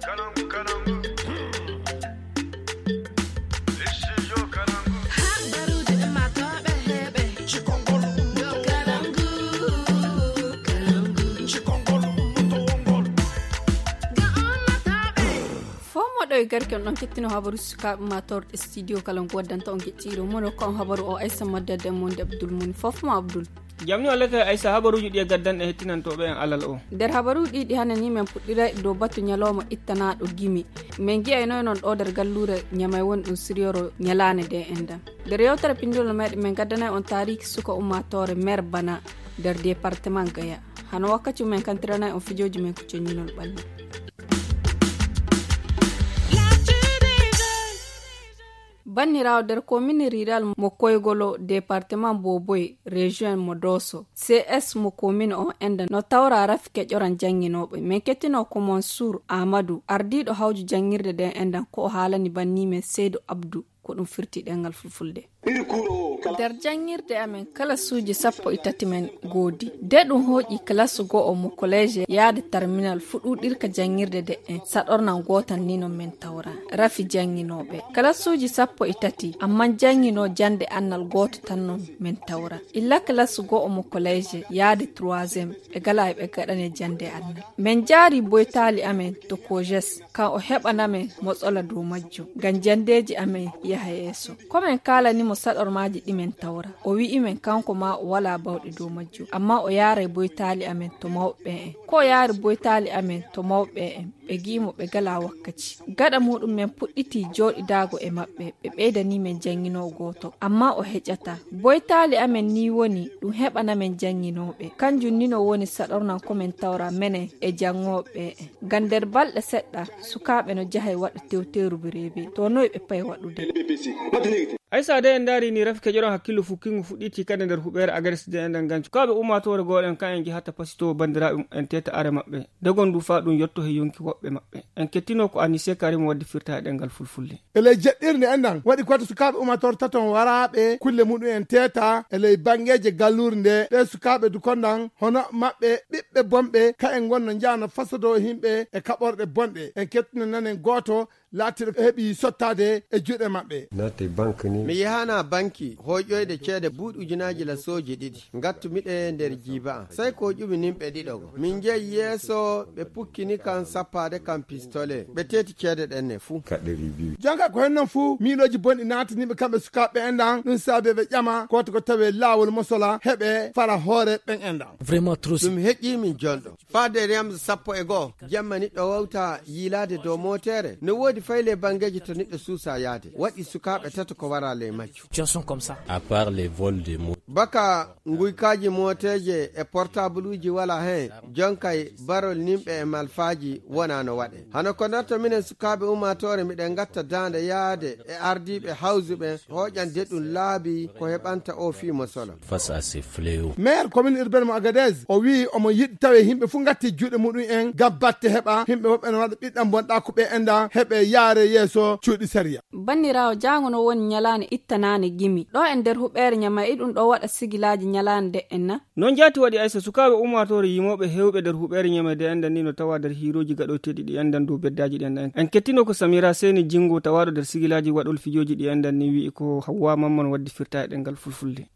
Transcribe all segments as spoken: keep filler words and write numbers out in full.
Fof moɗo e garke on ɗon kettino habaru sukaaɓe ma torɗe studio kala ngu waddanta on geɗtiiɗo mono ko on habaru o aysa maddade e monde abdul muni fof mo abdul. Jamni wallata aysa habaruuji ɗi e gaddanɗe hettinantooɓe en alal o. Nder habaruuji ɗi ɗi hanani men puɗɗira e dow batu ñalawma ittanaaɗo gimi. Min ngi'ayno e noon ɗo nder galluure ñamay woni ɗum siryoro ñalaande nde enɗan. Nder yewtere pinndol meeɗen min ngaddanay on taariiki suka ummaatoore meer bana nder departement gaya. Hano wakkati umen kantiranay on fijooji men ko ceññinol ɓalli. Banniraawo nder komine riral mo koygolo departement boboy, région mo doso, cs mo komine on enda no tawra rafi keƴoran jannginooɓe. Min kettino ko mansour amadou ardiiɗo hawju janngirde nden endan ko o haalani banni men seydo abdou. Ko ɗum firti ɗengal fulfulde. Nder janngirde amen kala suuji sappo e tati men goodi de ɗum hooƴi kalasu go'o mo koleje yaade terminal fuɗuɗirka janngirde de'en saɗornan gootan ni non men tawra rafi jannginooɓe kalasuuji sappo e tati amman jannginoo jannde annal gooto tan non men tawra illa kalasu go'o mo koleje yaade troisième ɓe gala e ɓe gaɗane jannde annal. Min njaari boytaali amen to kojes kan o heɓana men motsola dow majjum ngam janndeeji amen yaha yeeso. Ko min kaalani mo saɗormaaji ɗi min tawra o wi'i min kanko maa o walaa bawɗe dow majjum ammaa o yaaray boytaali amen to mawɓe ɓen en. Ko o yaari boytaali amen to mawɓe ɓen en ɓe gi'i mo ɓe galaa wakkaci. Gaɗa muuɗum min puɗɗiti jooɗidaago e maɓɓe ɓe ɓeydanii min jannginoowo gooto ammaa o heƴataa. Boytaali amen nii woni ɗum heɓana min jannginooɓe kanjum nii no woni saɗornan ko min tawra menen e janngooɓe ɓen en. Ngam nder balɗe seɗɗa sukaaɓe no jahay waɗa tewteeru bereebe to noy ɓe payi waɗude. Aysa de en ndaari ni rafi keƴoran hakkillo fukkingu fuɗɗiti kadi nder huɓeere agres de enɗan ngam sukaaɓe ummaatoore gooɗen kan en njahata pasitowo banndiraaɓe en teta are maɓɓe dogon ndu faa ɗum yotto he yonki woɓɓe maɓɓe. En kettino ko anise karim waddi firta e ɗengal fulfulde. E ley jeɗɗirnde enɗan waɗi koto sukaaɓe ummaatoore taton waraaɓe kulle muɗum en teta e ley banngeeje galluure nde ɗe sukaaɓe dukondan hono maɓɓe ɓiɓɓe bonɓe ka en ngonno njahano fasodo himɓe e kaɓorɗe bonɗe. En kettino nanen gooto laatiiɗo heɓi sottaade e juuɗe maɓɓe. Naate banque ni. Mi yahana banki hoyƴoyde ceede buuɗi ujunaaji lasooji ɗiɗi ngattu miɗe nder jiiba an sey ko ƴumi nimɓe ɗiɗo go min jeyi yeeso ɓe pukkini kan sappaade kan pistole ɓe teeti ceede ɗen ne fuu. Kaɗɗeri biyu. Jonka ko hen non fuu miilooji bonɗi naataniiɓe kamɓe sukaaɓe enɗan ɗum saabi ɓe ƴama kooto ko tawi laawol mosola heɓe fara hoore ɓen enɗan. Vraiment trop. Ɗum heƴƴii min jonɗo. Faade riyamsa sappo e go'o jemma niɗɗo wawta yiilaade dow mootere no woodi fayle banngeeji to niɗɗo suusa yaade waɗi sukaaɓe tato ko wara ley majju. Situation comme ça. À part les vols de moto. Baka nguykaaji mooteeje e portabluuji wala heen jonkay barol nimɓe e malfaaji wona no waɗe hano ko ndarto minen sukaaɓe ummaatoore miɗen ngatta daande yaade e ardiiɓe hawsuɓe hooƴande ɗum laabi ko heɓanta o fii mo solo. Face à ces fléaux. Maire commune urbaine mo agadez o wii omo yiɗi tawe yimɓe fof ngatti juuɗe muɗum en ngam batte heɓa yimɓe woɓɓe no waɗa ɓiɗɗam bonɗa ko ɓe enda heɓe yaare yeeso cuuɗi sariya. Banniraawo jaango no woni ñalaande ittanaande gimi ɗo e nder huɓeere ñama e ɗum ɗo waɗa sigilaaji ñalaande nde en na. Noon jaati waɗi aysa sukaaɓe ummaatoore yimooɓe heewɓe nder huɓeere ñamede enɗan ni no tawa nder hiirooji gaɗoyteeɗi ɗi enɗan dow beddaaji ɗi enɗan en kettino ko samira seeni jinngo tawaaɗo nder sigilaaji waɗol fijooji ɗi enɗan ni wi'i ko hawwa mamman waddi firta e ɗengal fulfulde.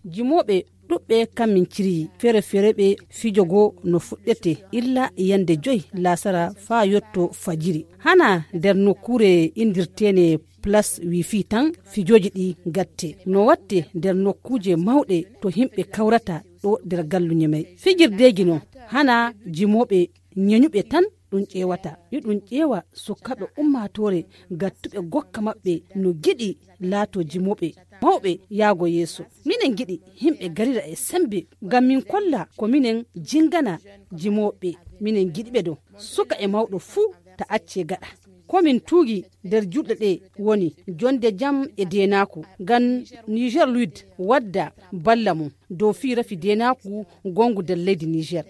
Jimooɓe ɗuɓɓe kammin ciryi fere fere ɓe fijo goo no fuɗɗete illa yande joy laasara faa yotto fajiri hana nder nokkuure inndirteene plas wifi tan fijooji ɗi gatte no watte nder nokkuuje mawɗe to yimɓe kawrata ɗo nder galluñe may fijirdeeji no hana jimooɓe ñeñuɓe tan ɗum ƴeewata yo ɗum ƴeewa sukkaɓe ummaatoore gattuɓe gokka maɓɓe no giɗi laato jimooɓe mawɓe yaago yeeso minen giɗi yimɓe garira e sembe ngam min kolla ko minen jingana jimooɓe minen giɗiɓe ɗo suka e mawɗo fuu ta acce gaɗa ko min tuugi nder julɗe ɗe woni jonde jam e deenaaku ngam niger luid wadda balla mum dow fii rafi deenaaku gongu nder leydi niger.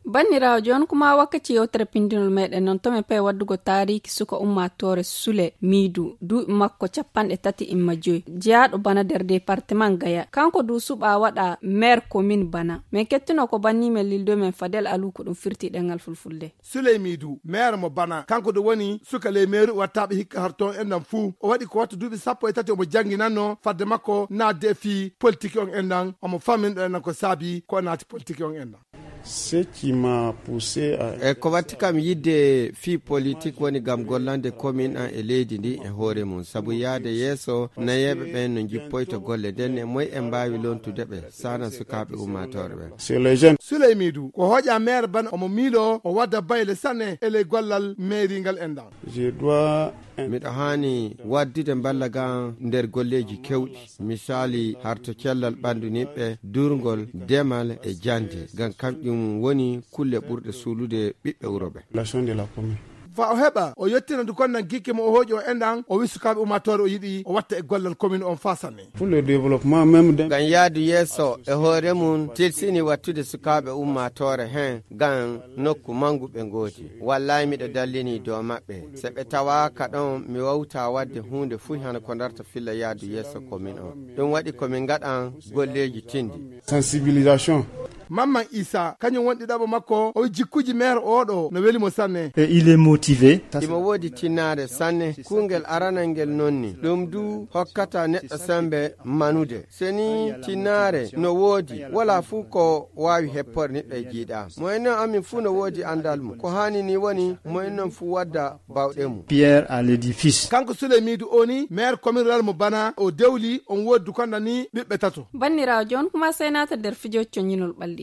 Banndiraawo, jooni kuma wakkati yewtere pindinol meɗen non to men pay waddugo taariiki suka ummaatoore Sule Miidu, duuɓi makko capanɗe tati imma joyi, jeyaaɗo bana nder departement Gaya. Kanko du suɓa waɗa maire commune bana. Men kettino ko banni men lildo men Fadel Alu ko ɗum firti ɗengal fulfulde. Suleymiidu, maire mo bana, kanko de woni suka ley meeru wattaaɓe hikka har toon enɗan fuu. O waɗi ko watta duuɓi sappo e tati omo jannginanno fadde makko naatde e fii politiki on enɗan, omo famminɗo enɗan ko saabi ko o naati politiki on enɗan. Ce qui m'a poussé à e ko watti kam yidde fii politik woni ngam gollande komin an e leydi ndi e hoore mum, sabu yaade yeeso nayeeɓe ɓen no njippoyta golle nden e moy en mbaawi lontude ɓe sana sukaaɓe ummaatoore ɓen. Sur les jeunes. Suleymiidu ko hooƴa maire bana omo miiloo o wadda bayle sanne e ley gollal mairie ngal enɗan. Je dois miɗo haani waddude mballa ga nder golleeji kewɗi, misaali harto cellal ɓanndu niɓɓe, durngol, demal e jannde, ngam kamƴum woni kulle ɓurɗe suulude ɓiɓɓe wuro ɓe. Relation de la commune. Fa o heɓa o yettina du konnan gikke mo o hooƴi o enɗan, o wi sukaaɓe ummaatoore o yiɗi o watta e gollal commune on faa sanne. Pour le développement même de ngam yaadu yeeso e hoore mum tilsini wattude sukaaɓe ummaatoore hen ngam nokku mangu ɓe ngoodi. Wallahi miɗo dallini dow maɓɓe, se ɓe tawaaka ɗon mi wawta wadde huunde fuy hano ko darta filla yaadu yeeso commune on. Ɗum waɗi ko min ngaɗan golleeji tindi. Sensibilisation. Mamman Isa kañum woni ɗiɗaɓo makko, o wi jikkuji maire oɗo no weli mo sanne. Et il est motivé. Imo woodi tinnaare sanne. Kuungel aranal ngel nonni ɗum du hokkata neɗɗo sembe manude. Seni tinnaare no woodi, wala fuu ko waawi heppore niɓɓe jiiɗa. Mo en non amin fuu no woodi anndal mum. Ko haani ni woni mo en non fuu wadda bawɗe mum. Pierre à l'édifice. Kanko Suleymiidu o ni maire commune rural mo bana o dewli on woodi du konda ni ɓiɓɓe tato. Banndiraawo, jooni kuma sey naata nder fijo coñinol ɓalli.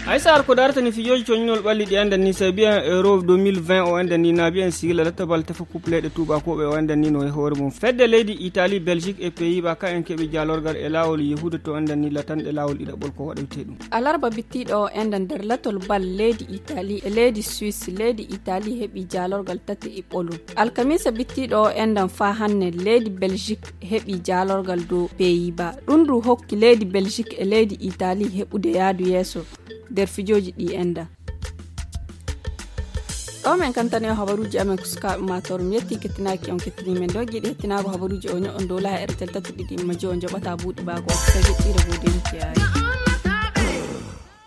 Haysa ar ko darata ni fijooji coñinol ɓalli ɗi anndan ni sabi en euro deux mille vingt o anndan ni naabi en sigila lattabal tefa coupleyɗe tuubakooɓe o anndan ni no e hoore mum fedde leydi Italie, Belgique e pays ba ka en keɓi jaalorgal e laawol yehude to anndan ni latanɗe laawol ɗiɗaɓol ko waɗoyte ɗum. Alarba bittiiɗo o enɗan nder latol bal leydi Italie e leydi Suisse, leydi Italie heɓi jaalorgal tati e ɓolum. Alkamiisa bittiiɗo o enɗan faa hanne leydi Belgique heɓi jaalorgal dow Pays-Bas. Ɗum du hokki leydi Belgique e leydi Italie heɓude yaadu yeeso nder fijooji ɗi enɗan. Ɗo men kantani o habaruuji amen ko sukaaɓe maatoor. Mi yetti kettinaaki on kettini men ɗo. Giɗi hettinaago habaruuji o ño'on dow laaha R T L tati ɗiɗi imma jowo njoɓata buuɗi baago o sey heɗɗiire buuɗi en kiyaye.